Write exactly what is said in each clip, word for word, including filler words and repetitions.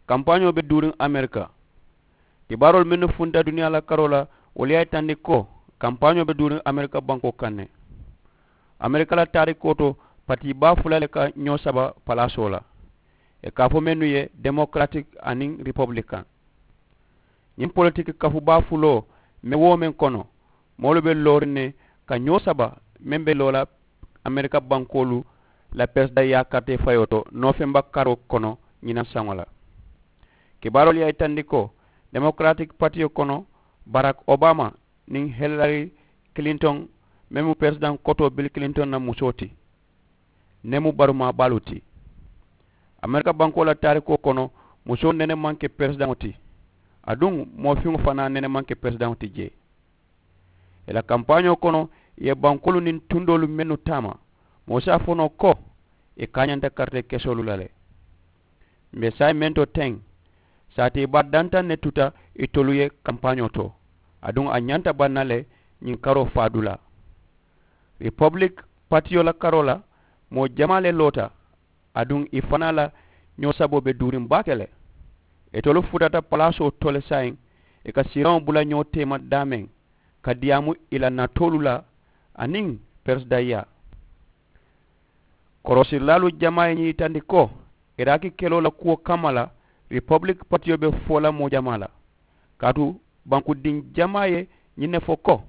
Kampaañoo be duuriŋ amerika. Kibaaroolu mennu funta duniyaa la karoo la, wolu ye a yitandi ko kampaañoo be duuriŋ amerika bankoo kaŋ ne. Amerika la taarikoo to, patii baa fula le ka ñoo saba palaasoo la, ì ka a fo mennu ye demokaratik aniŋ ripobilikaŋ. Ñiŋ politiki kafu baa fuloo meŋ woo meŋ kono, moolu be looriŋ ne ka ñoo saba meŋ be loo la amerika bankoolu la peresidaŋ yaakaritee fayoo to noofemba karoo kono ñinaŋ saŋo la. Kibaaroolu ye a yitandi ko demokaratik patiyo kono, barak obama niŋ hilari kilintoŋ meŋ mu peresidaŋ kotoo bili kilintoŋ na musoo ti, ne mu barumaa baalu ti. Amerika bankoo la taarikoo kono, musoo nene maŋ ke peresidaŋo ti, aduŋ moo fiŋo fanaa nene maŋ ke peresidaŋo ti jee. Ì la kampaañoo kono, ì ye bankoolu niŋ tundoolu mennu taama, moo si a fo noo ko ì kaañanta karitee kesoolu la le. M̀ be saayiŋ meŋ to teŋ, saatee baa dantaŋ ne tuta itolu ye kampaañoo to, aduŋ a ñanta baŋ na le ñiŋ karoo faadulaa. Ripobilik patiyo la karoo la, moo jamaa le loota, aduŋ ì fanaa la ñoo saboo be duuriŋ baake le. Itolu futata palaasoo to le saayiŋ, ì ka siiraŋo bula ñoo teema daameŋ ka diyaamu ì la natoolu la aniŋ peresidaŋ yaa. Korosirilaalu jamaa ye ñiŋ yitandi ko, iraki keloo la kuwo kamma la, ripobilik patiyo be fo la moo jamaa la. Kaatu bankudiŋ jamaa ye ñiŋ ne fo ko,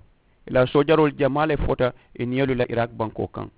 ì la soojaroolu jamaa le fota ì niyolu la iraki bankoo kaŋ.